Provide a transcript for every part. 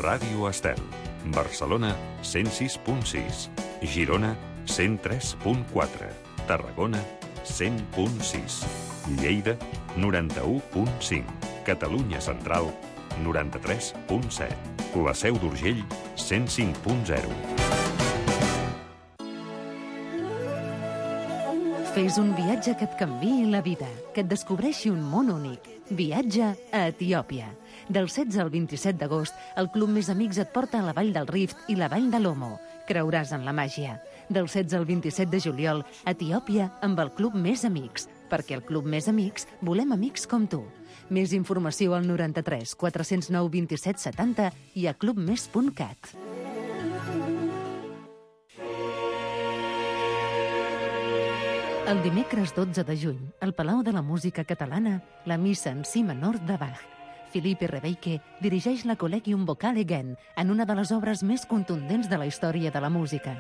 Ràdio Estel. Barcelona, 106.6. Girona, 103.4. Tarragona, 100.6. Lleida, 91.5. Catalunya Central, 93.7. La Seu d'Urgell, 105.0. Fes un viatge que et canviï la vida, que et descobreixi un món únic. Viatge a Etiòpia. Del 16 al 27 d'agost, el Club Més Amics et porta a la Vall del Rift i la Vall de l'Omo. Creuràs en la màgia. Del 16 al 27 de juliol, Etiòpia amb el Club Més Amics. Perquè el Club Més Amics volem amics com tu. Més informació al 93 409 27 70 i a clubmes.cat. El dimecres 12 de juny, al Palau de la Música Catalana, la missa en si menor de Bach. Philippe Rebeike dirigeix la Collegium Vocale Gen en una de les obres més contundents de la història de la música.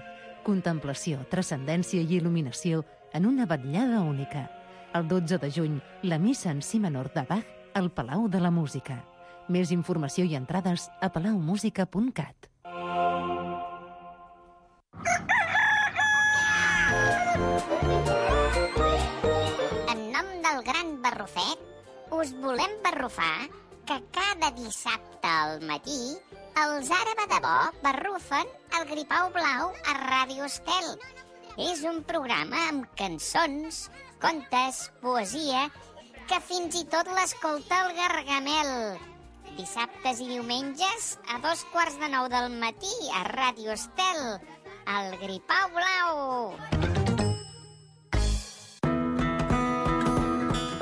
Contemplació, transcendència i il·luminació en una vetllada única. El 12 de juny, la missa en si menor de Bach al Palau de la Música. Més informació i entrades a palaumusica.cat. En nom del gran Barrufet, us volem barrufar que cada dissabte al matí els Àraba de Bo barrufen el Gripau Blau a Ràdio Estel. És un programa amb cançons, contes, poesia, que fins i tot l'escolta el Gargamel. Dissabtes i diumenges a 8:45 del matí a Ràdio Estel, el Gripau Blau.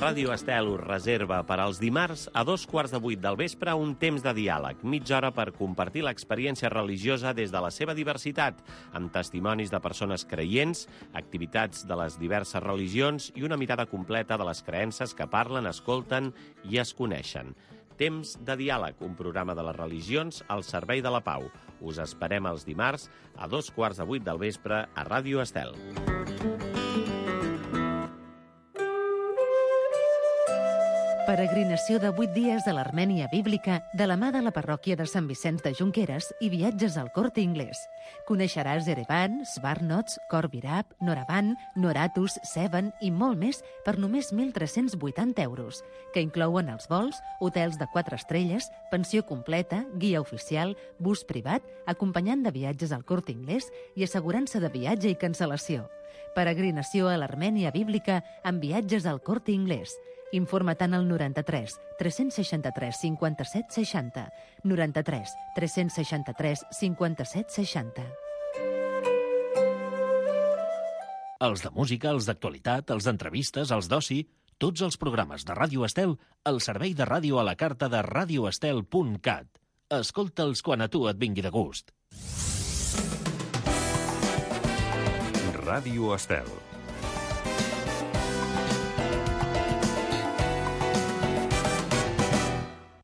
Ràdio Estel us reserva per als dimarts a 7:15 del vespre un temps de diàleg, mitja hora per compartir l'experiència religiosa des de la seva diversitat, amb testimonis de persones creients, activitats de les diverses religions i una mirada completa de les creences que parlen, escolten i es coneixen. Temps de diàleg, un programa de les religions al servei de la pau. Us esperem els dimarts a 7:15 del vespre a Ràdio Estel. Peregrinació de 8 dies a l'Armènia bíblica de la mà de la parròquia de Sant Vicenç de Junqueras i viatges al Corte Inglés. Coneixeràs Erevan, Svarnots, Korvirab, Noravan, Noratus, Sevan i molt més per només 1.380 euros, que inclouen els vols, hotels de 4 estrelles, pensió completa, guia oficial, bus privat, acompanyant de viatges al Corte Inglés i assegurança de viatge i cancel·lació. Peregrinació a l'Armènia bíblica amb viatges al Corte Inglés. Informa-te'n al 93 363 57 60, 93 363 57 60. Els de música, els d'actualitat, els d'entrevistes, els d'oci, tots els programes de Ràdio Estel al servei de ràdio a la carta de radioestel.cat. Escolta'ls quan a tu et vingui de gust. Ràdio Estel.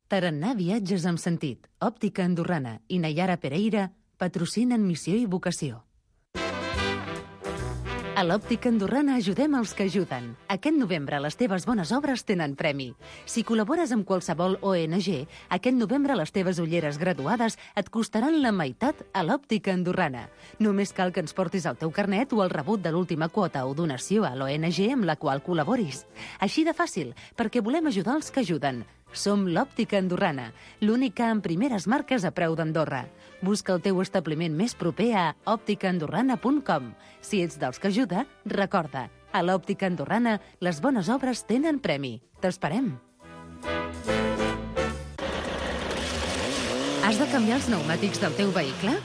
Tarannà Viatges amb Sentit, Òptica Andorrana i Nayara Pereira patrocinen Missió i Vocació. A l'Òptica Andorrana ajudem els que ajuden. Aquest novembre les teves bones obres tenen premi. Si col·labores amb qualsevol ONG, aquest novembre les teves ulleres graduades et costaran la meitat a l'Òptica Andorrana. Només cal que ens portis el teu carnet o el rebut de l'última quota o donació a l'ONG amb la qual col·laboris. Així de fàcil, perquè volem ajudar els que ajuden. Som l'Òptica Andorrana, l'única amb primeres marques a preu d'Andorra. Busca el teu establiment més proper a òpticaandorrana.com. Si ets dels que ajuda, recorda, a l'Òptica Andorrana les bones obres tenen premi. T'esperem! Has de canviar els pneumàtics del teu vehicle?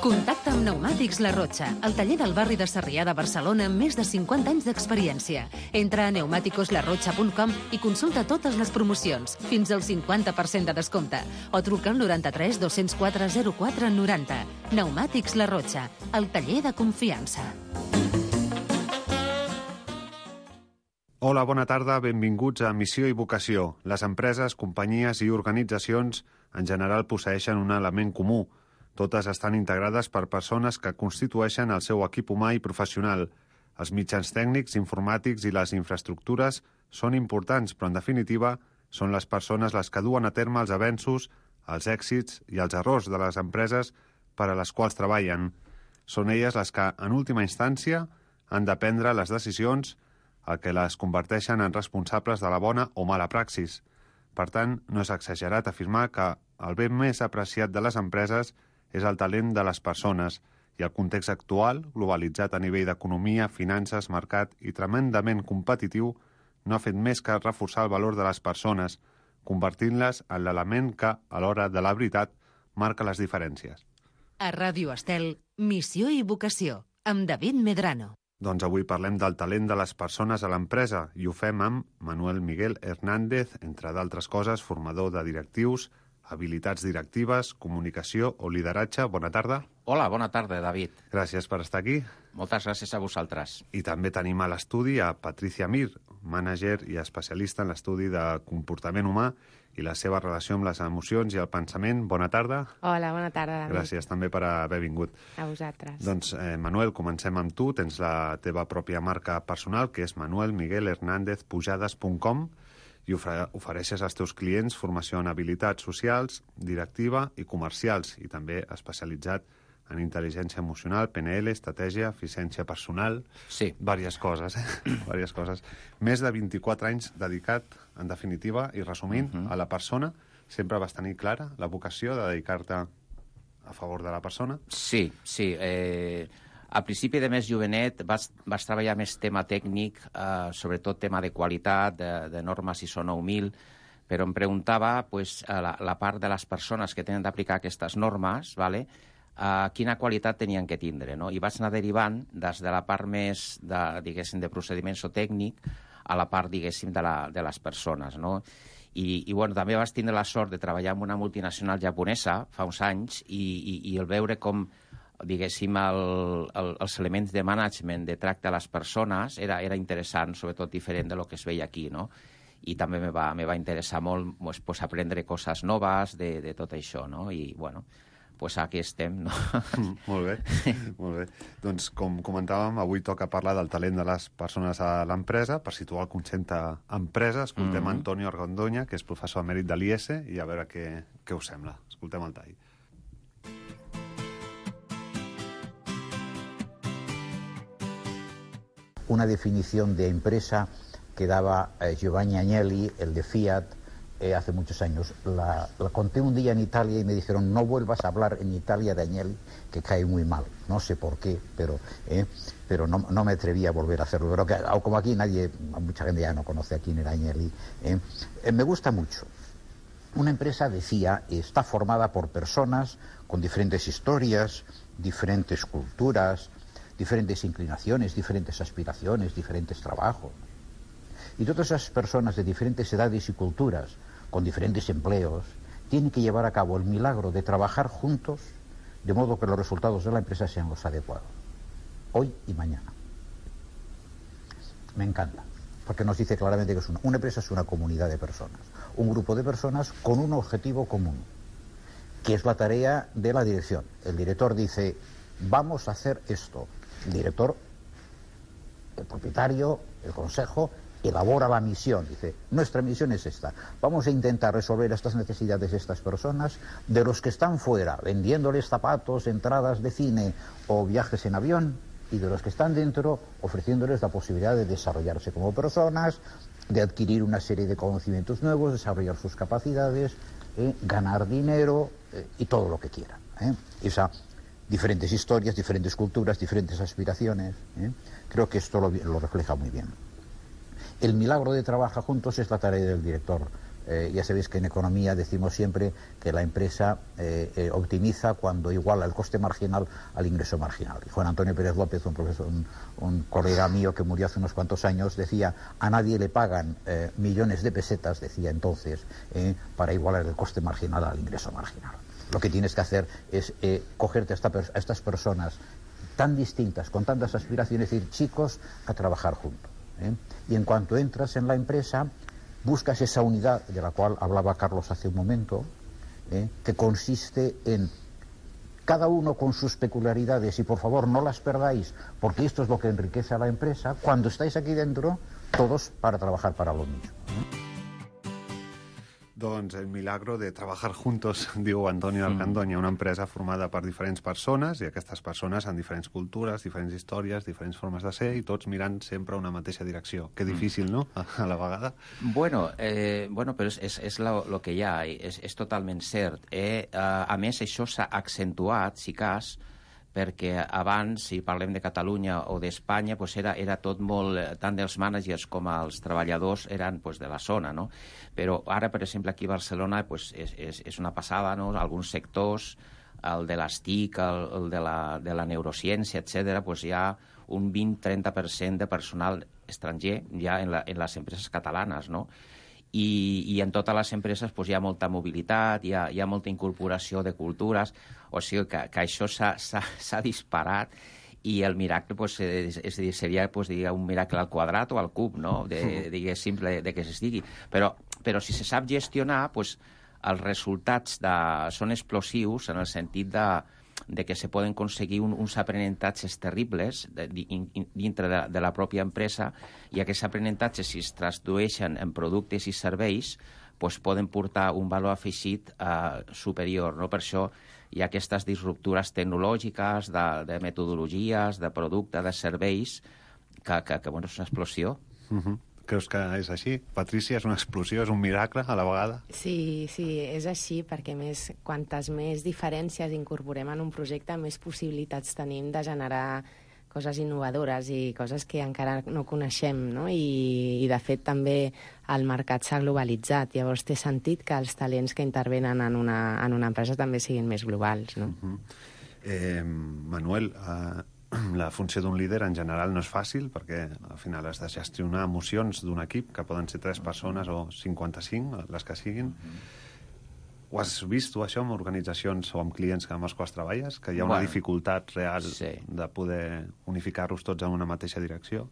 Contacta amb Pneumàtics La Rocha, el taller del barri de Sarrià de Barcelona amb més de 50 anys d'experiència. Entra a pneumaticoslarrocha.com i consulta totes les promocions, fins al 50% de descompte, o truca al 93 204 04 90. Pneumàtics La Rocha, el taller de confiança. Hola, bona tarda, benvinguts a Missió i Vocació. Les empreses, companyies i organitzacions en general posseeixen un element comú. Totes estan integrades per persones que constitueixen el seu equip humà i professional. Els mitjans tècnics, informàtics i les infraestructures són importants, però en definitiva són les persones les que duen a terme els avenços els èxits i els errors de les empreses per a les quals treballen. Són elles les que, en última instància, han de prendre les decisions, el que les converteixen en responsables de la bona o mala praxis. Per tant, no és exagerat afirmar que el bé més apreciat de les empreses és el talent de les persones, i el context actual, globalitzat a nivell d'economia, finances, mercat i tremendament competitiu, no ha fet més que reforçar el valor de les persones, convertint-les en l'element que, a l'hora de la veritat, marca les diferències. A Ràdio Estel, Missió i Vocació, amb David Medrano. Doncs avui parlem del talent de les persones a l'empresa i ho fem amb Manuel Miguel Hernández, entre d'altres coses, formador de directius, habilitats directives, comunicació o lideratge. Bona tarda. Hola, bona tarda, David. Gràcies per estar aquí. Moltes gràcies a vosaltres. I també tenim a l'estudi a Patricia Mir, mànager i especialista en l'estudi de comportament humà i la seva relació amb les emocions i el pensament. Bona tarda. Hola, bona tarda, David. Gràcies també per haver vingut. A vosaltres. Doncs, Manuel, comencem amb tu. Tens la teva pròpia marca personal, que és manuelmiguelhernandezpujades.com, i ofereixes als teus clients formació en habilitats socials, directiva i comercials, i també especialitzat en intel·ligència emocional, PNL, estratègia, eficiència personal... Sí. Vàries coses, Vàries coses. Més de 24 anys dedicat, en definitiva, i resumint, a la persona. Sempre vas tenir clara la vocació de dedicar-te a favor de la persona? Sí. Al principi de més jovenet vas treballar més tema tècnic, sobretot tema de qualitat, de normes ISO 9000, però em preguntava la part de les persones que tenen d'aplicar aquestes normes, quina qualitat tenien que tindre, no? I vaig anar derivant des de la part més de procediments o tècnic a la part, diguéssim, de les persones, no? I també vaig tindre la sort de treballar en una multinacional japonesa fa uns anys i el veure com, diguéssim, els elements de management, de tracte a les persones, era interessant, sobretot diferent de lo que es veia aquí, no? I també me va interessar molt aprendre coses noves de tot això, no? I, aquí estem, no? Molt bé, molt bé. Doncs, com comentàvem, avui toca parlar del talent de les persones a l'empresa. Per situar el concepte empresa, escoltem Antonio Argandoña, que és professor emèrit de l'IES, i a veure què us sembla. Escoltem el tall. Una definición de empresa que daba Giovanni Agnelli, el de Fiat, hace muchos años. La conté un día en Italia y me dijeron: no vuelvas a hablar en Italia de Agnelli, que cae muy mal. No sé por qué, pero no me atreví a volver a hacerlo. Pero como aquí mucha gente ya no conoce a quién era Agnelli. Me gusta mucho. Una empresa, decía, está formada por personas con diferentes historias, diferentes culturas, diferentes inclinaciones, diferentes aspiraciones, diferentes trabajos. Y todas esas personas de diferentes edades y culturas, con diferentes empleos, tienen que llevar a cabo el milagro de trabajar juntos, de modo que los resultados de la empresa sean los adecuados, hoy y mañana. Me encanta, porque nos dice claramente que una empresa es una comunidad de personas, un grupo de personas con un objetivo común, que es la tarea de la dirección. El director dice: vamos a hacer esto. El director, el propietario, el consejo, elabora la misión. Dice: nuestra misión es esta. Vamos a intentar resolver estas necesidades de estas personas, de los que están fuera, vendiéndoles zapatos, entradas de cine o viajes en avión, y de los que están dentro, ofreciéndoles la posibilidad de desarrollarse como personas, de adquirir una serie de conocimientos nuevos, desarrollar sus capacidades, ganar dinero y todo lo que quieran. Diferentes historias, diferentes culturas, diferentes aspiraciones. Creo que esto lo refleja muy bien. El milagro de trabajar juntos es la tarea del director. Ya sabéis que en economía decimos siempre que la empresa optimiza cuando iguala el coste marginal al ingreso marginal. Y Juan Antonio Pérez López, un colega mío que murió hace unos cuantos años, decía: a nadie le pagan millones de pesetas, decía entonces, para igualar el coste marginal al ingreso marginal. Lo que tienes que hacer es cogerte a estas personas tan distintas, con tantas aspiraciones, y decir: chicos, a trabajar juntos. Y en cuanto entras en la empresa, buscas esa unidad de la cual hablaba Carlos hace un momento, que consiste en cada uno con sus peculiaridades, y por favor no las perdáis, porque esto es lo que enriquece a la empresa. Cuando estáis aquí dentro, todos para trabajar para lo mismo. Doncs el milagro de trabajar juntos, diu Antonio Alcandoña, una empresa formada per diferents persones, i aquestes persones amb diferents cultures, diferents històries, diferents formes de ser, i tots mirant sempre una mateixa direcció. Que difícil, no?, a la vegada. Bueno, però és lo que hi ha, és totalment cert. A més, això s'ha accentuat, si cas, perquè abans, si parlem de Catalunya o d'Espanya, pues era tot molt, tant dels mànagers com els treballadors eren pues, de la zona, no? Però ara, per exemple, aquí a Barcelona pues, és una passada, no? Alguns sectors, el de les TIC, el de la neurociència, etc., pues hi ha un 20-30% de personal estranger ja en les empreses catalanes, no? I en totes les empreses pues, hi ha molta mobilitat, hi ha molta incorporació de cultures, o sigui que això s'ha disparat, i el miracle pues, seria pues, un miracle al quadrat o al cub, no? Diguéssim, de que s'estigui. Però si se sap gestionar, pues, els resultats són explosius en el sentit de que se poden aconseguir uns aprenentatges terribles dintre de la pròpia empresa, i aquests aprenentatges, si es tradueixen en productes i serveis, pues poden portar un valor afegit superior, no? Per això hi ha aquestes disruptures tecnològiques, de metodologies, de producte, de serveis, que bueno, és una explosió. Creus que és així? Patrícia, és una explosió, és un miracle a la vegada? Sí, és així, perquè més, quantes més diferències incorporem en un projecte, més possibilitats tenim de generar coses innovadores i coses que encara no coneixem, no? I de fet també el mercat s'ha globalitzat, llavors té sentit que els talents que intervenen en una empresa també siguin més globals, no? Manuel, la funció d'un líder en general no és fàcil, perquè al final has de gestionar emocions d'un equip, que poden ser 3 persones o 55, les que siguin. Ho has vist tu, això, amb organitzacions o amb clients amb els quals treballes? Que hi ha una dificultat real de poder unificar-los tots en una mateixa direcció?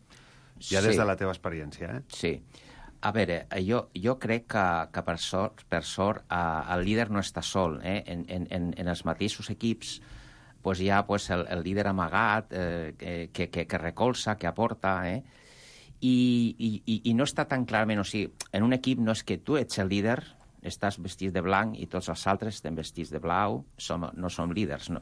Ja des de la teva experiència, eh? Sí. A veure, jo crec que per sort el líder no està sol. En els mateixos equips pues hi ha pues, el líder amagat que recolza, que aporta, i no està tan clarament, o sigui, en un equip no és que tu ets el líder, estàs vestit de blanc i tots els altres estem vestits de blau, no som líders, no.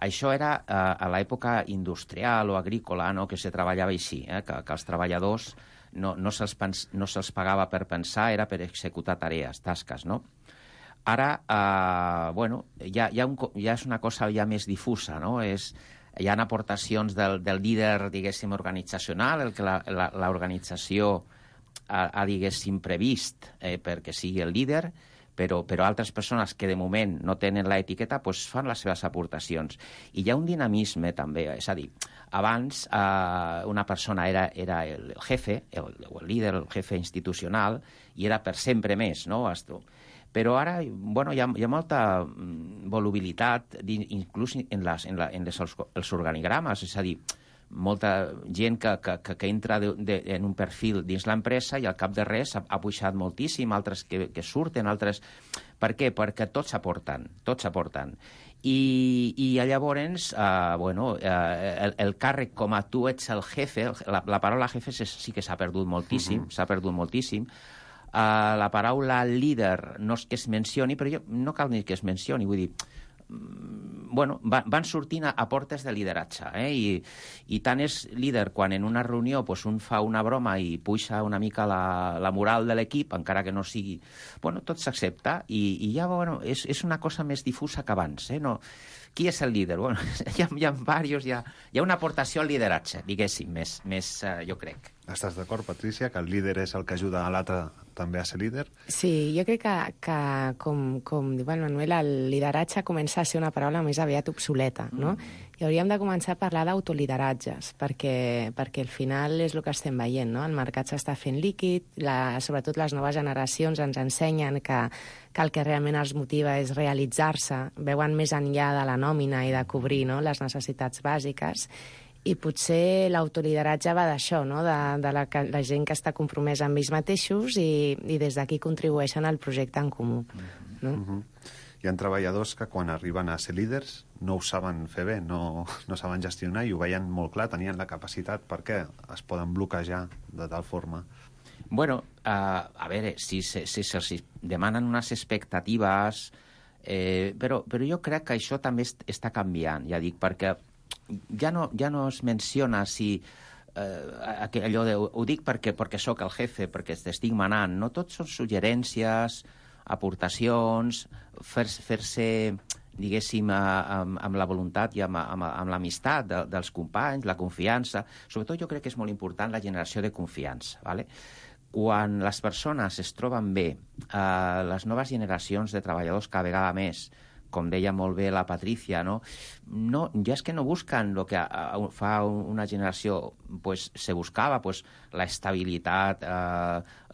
Això era a l'època industrial o agrícola, no?, que se treballava així, que els treballadors no se'ls pagava per pensar, era per executar tarees, tasques, no? Ara, bueno, ja és una cosa ja més difusa, no? Hi ha aportacions del líder, diguéssim, organitzacional, el que l'organització ha, diguéssim, previst perquè sigui el líder, però altres persones que de moment no tenen l'etiqueta pues, fan les seves aportacions. I hi ha un dinamisme també, és a dir, abans una persona era el jefe, el líder, el jefe institucional, i era per sempre més, no? Però ara bueno, hi ha molta volubilitat, inclús en els organigrames, és a dir, molta gent que entra en un perfil dins l'empresa i al cap de res ha pujat moltíssim, altres que surten, altres... Per què? Perquè tots aporten. I llavors, bueno, el càrrec com a tu ets el jefe, la paraula jefe sí que s'ha perdut moltíssim, la paraula líder no és que es mencioni, però no cal ni que es mencioni, vull dir, bueno, van sortint a portes de lideratge, i tant és líder quan en una reunió pues, un fa una broma i puja una mica la moral de l'equip, encara que no sigui... Bueno, tot s'accepta, i ja, bueno, és una cosa més difusa que abans, no? Qui és el líder? Bueno, hi ha diversos, hi ha una aportació al lideratge, diguéssim, més jo crec. Estàs d'acord, Patrícia, que el líder és el que ajuda a l'altre també a ser líder? Sí, jo crec que com diu el Manuel, el lideratge comença a ser una paraula més aviat obsoleta, no? I hauríem de començar a parlar d'autolideratges, perquè al final és el que estem veient, no? El mercat s'està fent líquid, sobretot les noves generacions ens ensenyen que el que realment els motiva és realitzar-se, veuen més enllà de la nòmina i de cobrir, no?, les necessitats bàsiques. I potser l'autolideratge va d'això, no?, de la gent que està compromesa amb ells mateixos i des d'aquí contribueixen al projecte en comú. No? Hi ha treballadors que quan arriben a ser líders no ho saben fer bé, no saben gestionar i ho veien molt clar, tenien la capacitat perquè es poden bloquejar de tal forma. Bueno, a veure, si se'ls demanen unes expectatives, però jo crec que això també està canviant, ja dic, perquè ja no es menciona si allò de ho dic perquè sóc el jefe, perquè t'estic manant, no? Tot són suggerències, aportacions, fer-se, diguéssim, amb la voluntat i amb l'amistat dels companys, la confiança. Sobretot jo crec que és molt important la generació de confiança, ¿vale? Quan les persones es troben bé, les noves generacions de treballadors cada vegada més, com deia molt bé la Patricia, ja és que no busquen el que fa una generació, pues, se buscava pues, la estabilitat,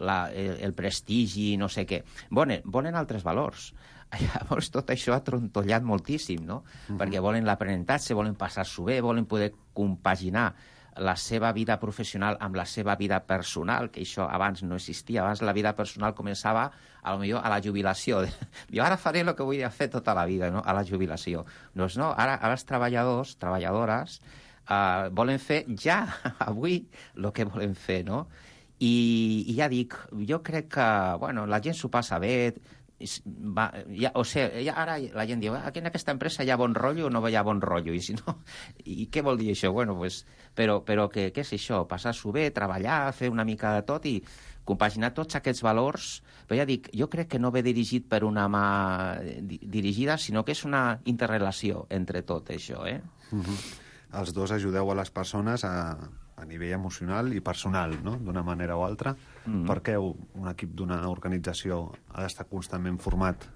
el prestigi, no sé què. Volen altres valors. Llavors tot això ha trontollat moltíssim, no? Perquè volen l'aprenentatge, volen passar-s'ho bé, volen poder compaginar la seva vida professional amb la seva vida personal, que això abans no existia. Abans la vida personal començava potser a la jubilació. Jo ara faré el que vull fer tota la vida, no? A la jubilació. Doncs no, ara els treballadors, treballadores, volen fer ja, avui, el que volen fer, no? I ja dic, jo crec que, la gent s'ho passa bé, ara la gent diu aquí en aquesta empresa hi ha bon rotllo o no hi ha bon rotllo, i si no, i què vol dir això? Però què és això? Passar-s'ho bé, treballar, fer una mica de tot i compaginar tots aquests valors. Però ja dic, jo crec que no ve dirigit per una mà dirigida, sinó que és una interrelació entre tot això, Els dos ajudeu a les persones a nivell emocional i personal, no? D'una manera o altra. Per què un equip d'una organització ha d'estar constantment format?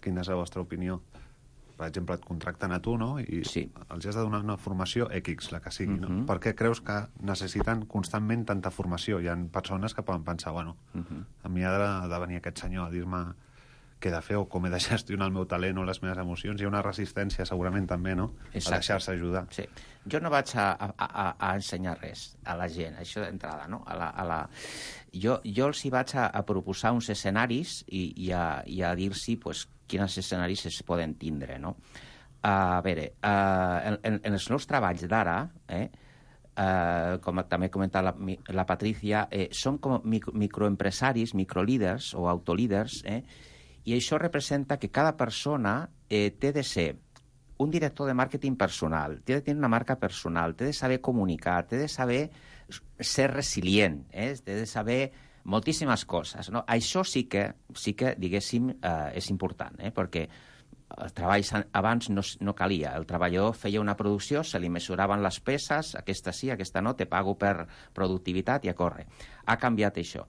Quina és la vostra opinió? Per exemple, et contracten a tu, no? I els has de donar una formació X, la que sigui, no? Per què creus que necessiten constantment tanta formació? Hi ha persones que poden pensar, a mi ha de venir aquest senyor a dir-me què he de fer o com he de gestionar el meu talent o les meves emocions. Hi ha una resistència segurament també, no? A deixar-se ajudar. Sí. Jo no vaig a ensenyar res a la gent, això d'entrada, no? Jo els hi vaig a proposar uns escenaris i a dir-los pues, quins escenaris es poden tindre, no? A veure, en els meus treballs d'ara, com també ha comentat la Patricia, som com microempresaris, microlíders o autolíders, i això representa que cada persona té de ser un director de màrqueting personal, té de tenir una marca personal, té de saber comunicar, té de saber ser resilient, té de saber moltíssimes coses, no? Això sí que diguéssim, és important, perquè el treball abans no calia. El treballador feia una producció, se li mesuraven les peces, aquesta sí, aquesta no, te pago per productivitat i a córrer. Ha canviat això.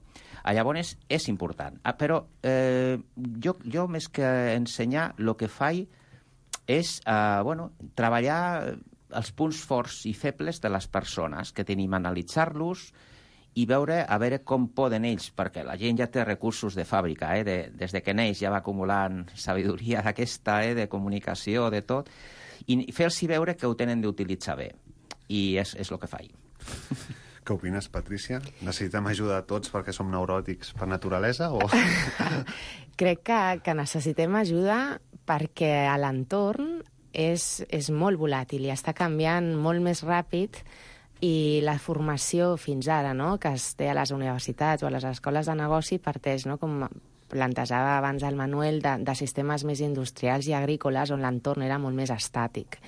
Llavors, és important. Però jo més que ensenyar, el que faig és treballar els punts forts i febles de les persones que tenim, analitzar-los i veure com poden ells, perquè la gent ja té recursos de fàbrica, des de que neix ja va acumulant sabidoria d'aquesta, de comunicació, de tot, i fer-los veure que ho tenen d'utilitzar bé. I és el que faig. Què opines, Patricia? Necessitem ajuda a tots perquè som neuròtics per naturalesa? O... Crec que necessitem ajuda perquè l'entorn és molt volàtil i està canviant molt més ràpid, i la formació fins ara, no?, que es té a les universitats o a les escoles de negoci parteix, no?, com plantejava abans el Manuel, de sistemes més industrials i agrícoles on l'entorn era molt més estàtic.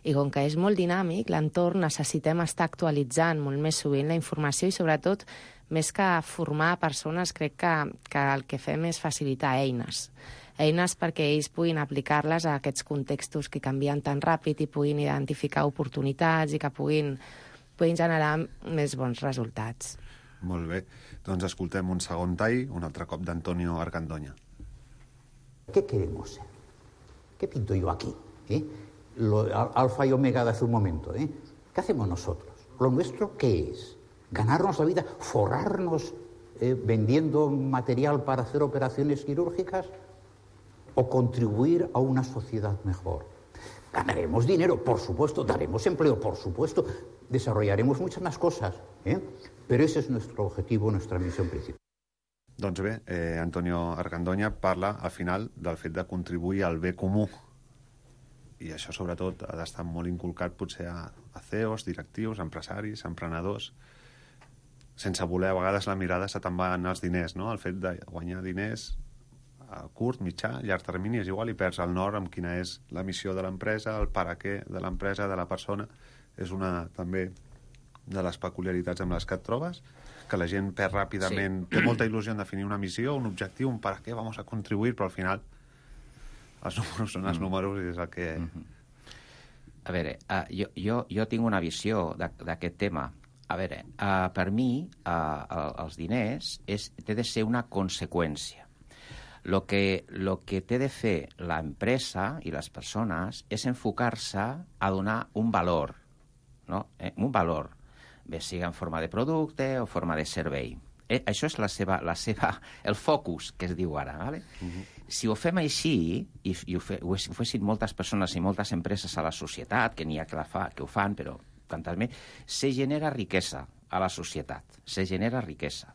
I com que és molt dinàmic, l'entorn necessitem estar actualitzant molt més sovint la informació i, sobretot, més que formar persones, crec que el que fem és facilitar eines perquè ells puguin aplicar-les a aquests contextos que canvien tan ràpid i puguin identificar oportunitats i que puguin generar més bons resultats. Molt bé. Doncs escoltem un segon tall, un altre cop d'Antonio Argandoña. ¿Qué queremos ser? ¿Qué pinto yo aquí? Alfa y omega de hace un momento. ¿Qué hacemos nosotros? ¿Lo nuestro qué es? ¿Ganarnos la vida? ¿Forrarnos vendiendo material para hacer operaciones quirúrgicas? ¿O contribuir a una sociedad mejor? Ganaremos dinero, por supuesto, daremos empleo, por supuesto, desarrollaremos muchas más cosas, pero ese es nuestro objetivo, nuestra misión principal. Doncs bé, Antonio Argandoña parla al final del fet de contribuir al bé comú, i això sobretot ha d'estar molt inculcat potser a CEOs, directius, empresaris, emprenedors. sense voler, a vegades la mirada se te'n va anar als diners, no? El fet de guanyar diners a curt, mitjà, llarg termini és igual i perds el nord amb quina és la missió de l'empresa, el para què de l'empresa, de la persona. És una, també, de les peculiaritats amb les que et trobes, que la gent perd ràpidament, té molta il·lusió en definir una missió, un objectiu, un para què, vamos a contribuir, però al final els números són els números i és el que... A veure, jo tinc una visió d'aquest tema. A veure, per mi, els diners té de ser una conseqüència. Lo que té de fer l'empresa i les persones és enfocar-se a donar un valor, no? Un valor, bé sigui en forma de producte o forma de servei. Això és el focus que es diu ara. ¿Vale? Si ho fem així, i ho fessin moltes persones i moltes empreses a la societat, que n'hi ha que ho fan, però tantes més, se genera riquesa a la societat, se genera riquesa.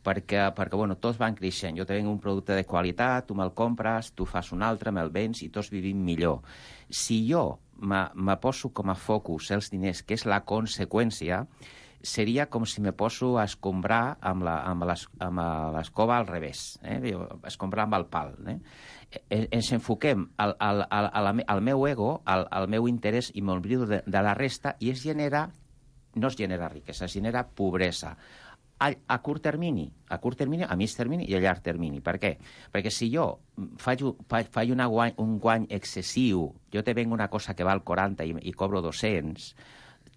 Perquè bueno, tots van creixent. Jo tinc un producte de qualitat, tu me'l compres, tu fas un altre, me'l vens i tots vivim millor. Si jo me poso com a focus els diners, que és la conseqüència, seria com si me poso a escombrar amb l'escova al revés, escombrar amb el pal. Ens enfoquem al meu ego, al meu interès i m'oblido de la resta i no es genera riquesa, es genera pobresa. A curt termini, a mig termini i a llarg termini. Per què? Perquè si jo faig un guany excessiu, jo te vengo una cosa que val 40 i cobro 200,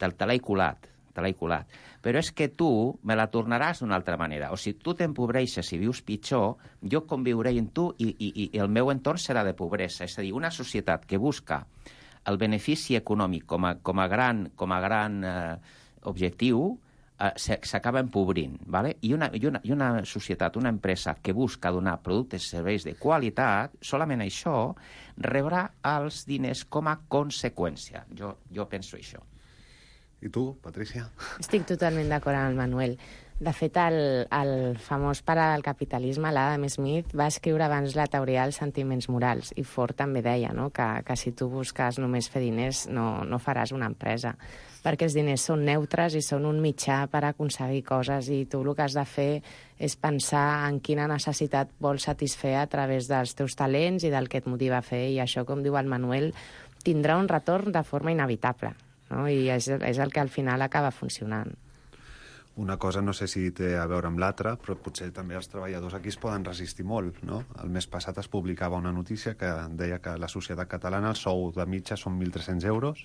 te l'he colat. Però és que tu me la tornaràs d'una altra manera. O si tu t'empobreixes i vius pitjor, jo conviuré amb tu i el meu entorn serà de pobresa. És a dir, una societat que busca el benefici econòmic com a gran objectiu s'acaba empobrint. ¿Vale? I una societat, una empresa que busca donar productes i serveis de qualitat, solament això rebrà els diners com a conseqüència. Jo penso això. I tu, Patricia? Estic totalment d'acord amb el Manuel. De fet, el famós pare del capitalisme, l'Adam Smith, va escriure abans la teoria dels sentiments morals, i Ford també deia, no?, que si tu busques només fer diners no faràs una empresa, perquè els diners són neutres i són un mitjà per aconseguir coses, i tu el que has de fer és pensar en quina necessitat vols satisfer a través dels teus talents i del que et motiva a fer, i això, com diu el Manuel, tindrà un retorn de forma inevitable. No? I és el que al final acaba funcionant. Una cosa no sé si té a veure amb l'altra, però potser també els treballadors aquí es poden resistir molt, no? El mes passat es publicava una notícia que deia que la societat catalana el sou de mitja són 1.300 euros,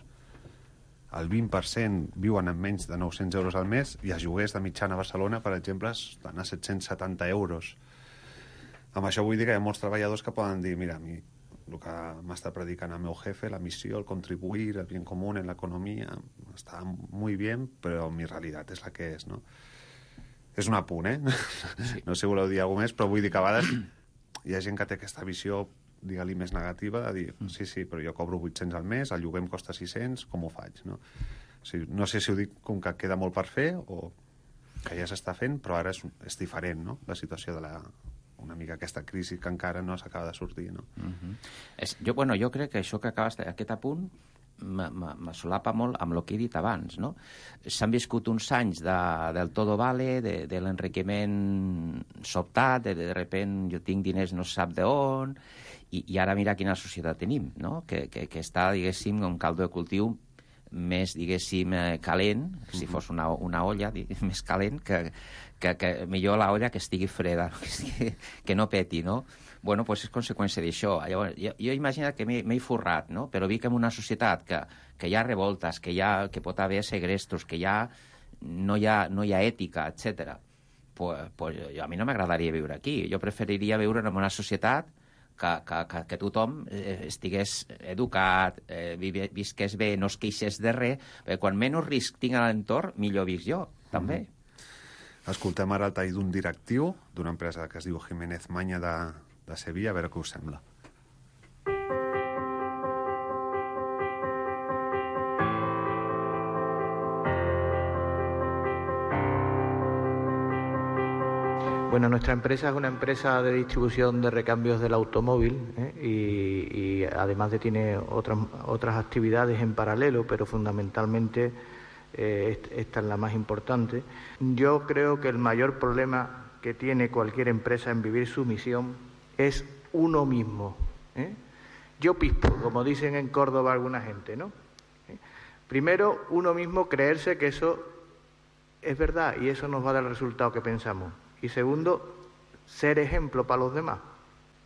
el 20% viuen amb menys de 900 euros al mes i els lloguers de mitjana a Barcelona, per exemple, estan a 770 euros. Amb això vull dir que hi ha molts treballadors que poden dir, mira, a mi el que m'està predicant el meu jefe, la missió, el contribuir, el bien común en l'economia, està molt bé, però mi realitat és la que és, no? És un apunt, Sí. No sé si voleu dir alguna més, però vull dir que a vegades hi ha gent que té aquesta visió, digue-li, més negativa, de dir, sí, però jo cobro 800 al mes, el lloguer em costa 600, com ho faig, no? O sigui, no sé si ho dic com que queda molt per fer o que ja s'està fent, però ara és diferent, no?, la situació de una mica aquesta crisi que encara no s'acaba de sortir, no? Jo crec que això que acabes aquest apunt me solapa molt amb el que he dit abans, no? S'han viscut uns anys del todo vale, de l'enriquiment sobtat, de repent jo tinc diners no se sap d'on, i ara mira quina societat tenim, no? Que està, diguéssim, un caldo de cultiu més, diguéssim, calent, si fos una olla, més calent, que millor la olla que estigui freda, que no peti, no? Bueno, doncs és conseqüència d'això. Llavors, jo imagino que m'he forrat, no? Però dic que en una societat que hi ha revoltes, que pot haver segrestos, que no hi ha ètica, etc. Pues a mi no m'agradaria viure aquí. Jo preferiria viure en una societat que tothom estigués educat, visqués bé, no es queixés de res, perquè quan menys risc tinc a l'entorn, millor visc jo, també. Escoltem ara el tall d'un directiu d'una empresa que es diu Jiménez Maña de Sevilla, a veure què us sembla. Bueno, nuestra empresa es una empresa de distribución de recambios del automóvil, y además tiene otras actividades en paralelo, pero fundamentalmente esta es la más importante. Yo creo que el mayor problema que tiene cualquier empresa en vivir su misión es uno mismo, ¿eh? Yo pispo, como dicen en Córdoba alguna gente, ¿no? Primero, uno mismo creerse que eso es verdad y eso nos va a dar el resultado que pensamos. Y segundo, ser ejemplo para los demás.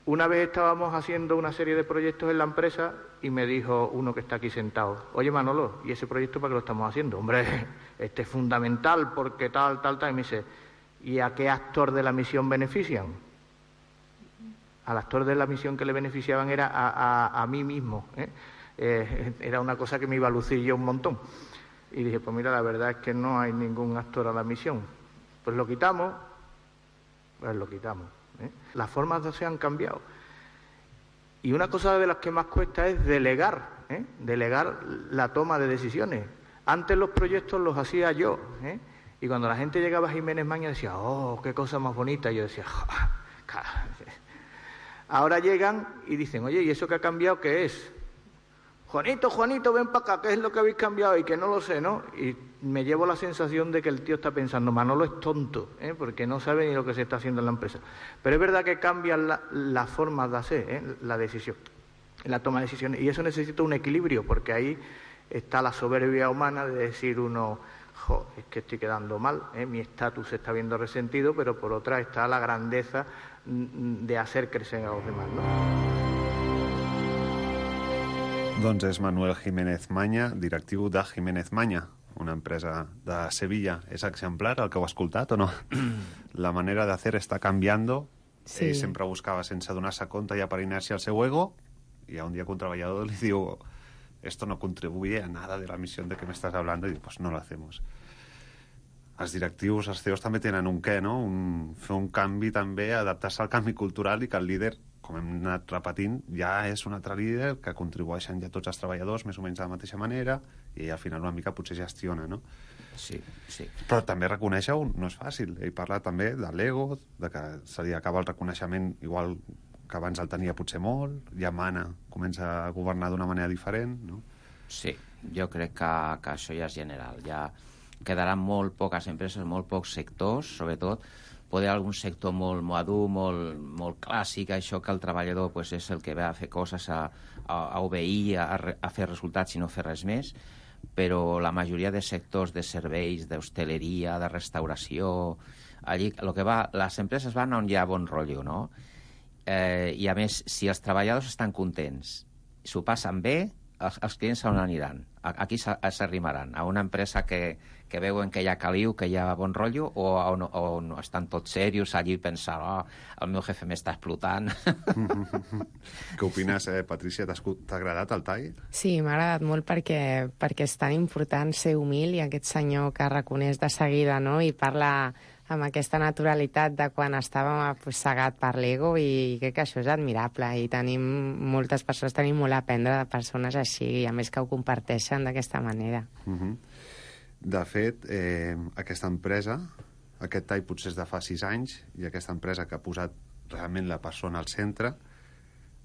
Una vez estábamos haciendo una serie de proyectos en la empresa y me dijo uno que está aquí sentado: oye, Manolo, ¿y ese proyecto para qué lo estamos haciendo? Hombre, este es fundamental porque tal. Y me dice: ¿y a qué actor de la misión benefician? Al actor de la misión que le beneficiaban era a mí mismo, ¿eh? Era una cosa que me iba a lucir yo un montón. Y dije: pues mira, la verdad es que no hay ningún actor a la misión. Pues lo quitamos, ¿eh? Las formas se han cambiado. Y una cosa de las que más cuesta es delegar, ¿eh? Delegar la toma de decisiones. Antes los proyectos los hacía yo, ¿eh? Y cuando la gente llegaba a Jiménez Maña decía: oh, qué cosa más bonita. Y yo decía: ahora llegan y dicen: oye, ¿y eso que ha cambiado qué es? Juanito, ven para acá, ¿qué es lo que habéis cambiado? Y que no lo sé, ¿no? Y me llevo la sensación de que el tío está pensando: Manolo es tonto, ¿eh? Porque no sabe ni lo que se está haciendo en la empresa. Pero es verdad que cambian las formas de hacer, ¿eh? La decisión, la toma de decisiones. Y eso necesita un equilibrio, porque ahí está la soberbia humana de decir uno: es que estoy quedando mal, ¿eh? Mi estatus se está viendo resentido, pero por otra está la grandeza de hacer crecer a los demás, ¿no? Doncs és Manuel Jiménez Maña, directiu de Jiménez Maña, una empresa de Sevilla. És exemplar el que heu escoltat o no? La manera de hacer està canviando. Sí. Ell sempre buscava, sense donar-se compte, ja per inèrcia, el seu ego, i un dia que un treballador li diu: esto no contribuye a nada de la misión de que me estás hablando, i diu: pues no lo hacemos. Els directius, els CEOs també tenen un què, no? Fer un canvi també, adaptar-se al canvi cultural, i que el líder, com hem anat repetint, ja és un altre líder, que contribueixen ja tots els treballadors més o menys de la mateixa manera, i al final una mica potser gestiona, no? Sí. Però també reconèixer-ho no és fàcil. Ell parla també de l'ego, de que se li acaba el reconeixement igual que abans el tenia potser molt, ja mana, comença a governar d'una manera diferent, no? Sí, jo crec que això ja és general. Ja quedaran molt poques empreses, molt pocs sectors, sobretot poder algun sector molt madur, molt clàssic, això que el treballador pues, és el que va a fer coses, a obeir, a fer resultats i no fer res més, però la majoria de sectors de serveis, d'hostaleria, de restauració, allí el que va, les empreses van on hi ha bon rotllo, no? I a més, si els treballadors estan contents, s'ho passen bé, els clients on aniran? Aquí s'arrimaran? A una empresa que veuen que hi ha caliu, que hi ha bon rotllo, o on estan tots serios allí pensant: el meu jefe m'està explotant? Què opines, Patrícia? T'ha agradat el tall? Sí, m'ha agradat molt perquè és tan important ser humil, i aquest senyor que reconeix de seguida, no?, i parla amb aquesta naturalitat de quan estàvem cegat per l'ego, i crec que això és admirable, i moltes persones tenim molt a aprendre de persones així, i a més que ho comparteixen d'aquesta manera. De fet, aquesta empresa, aquest tall potser és de fa 6 anys, i aquesta empresa que ha posat realment la persona al centre,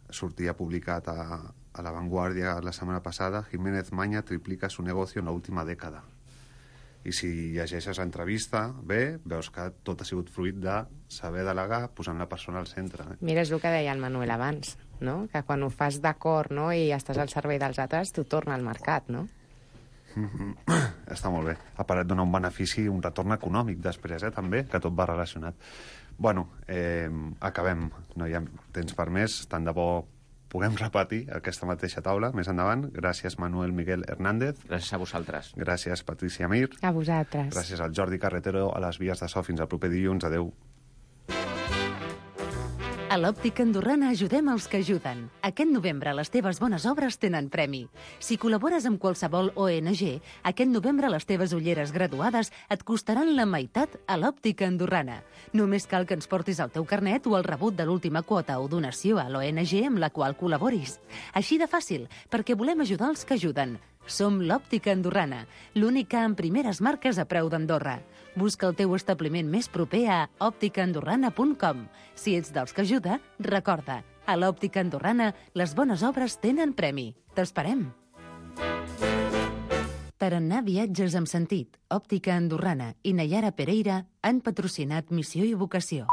sortia publicat a La Vanguardia la setmana passada: Jiménez Maña triplica su negocio en la última dècada. I si llegeixes l'entrevista bé, veus que tot ha sigut fruit de saber delegar posant la persona al centre. Mira, és el que deia el Manuel abans, no?, que quan ho fas d'acord, no?, i estàs al servei dels altres, t'ho torna al mercat, no? Està molt bé. A part et dona un benefici, un retorn econòmic després, també, que tot va relacionat. Bueno, acabem. No hi ha temps per més. Tant de bo puguem repetir aquesta mateixa taula més endavant. Gràcies, Manuel Miguel Hernández. Gràcies a vosaltres. Gràcies, Patricia Mir. A vosaltres. Gràcies al Jordi Carretero a les vies de so. Fins al proper dilluns. Adéu. A l'Òptica Andorrana ajudem els que ajuden. Aquest novembre les teves bones obres tenen premi. Si col·labores amb qualsevol ONG, aquest novembre les teves ulleres graduades et costaran la meitat a l'Òptica Andorrana. Només cal que ens portis el teu carnet o el rebut de l'última quota o donació a l'ONG amb la qual col·laboris. Així de fàcil, perquè volem ajudar els que ajuden. Som l'Òptica Andorrana, l'única amb primeres marques a preu d'Andorra. Busca el teu establiment més proper a òpticaandorrana.com. Si ets dels que ajuda, recorda, a l'Òptica Andorrana les bones obres tenen premi. T'esperem! Tarannà Viatges amb Sentit, Òptica Andorrana i Nayara Pereira han patrocinat Missió i Vocació.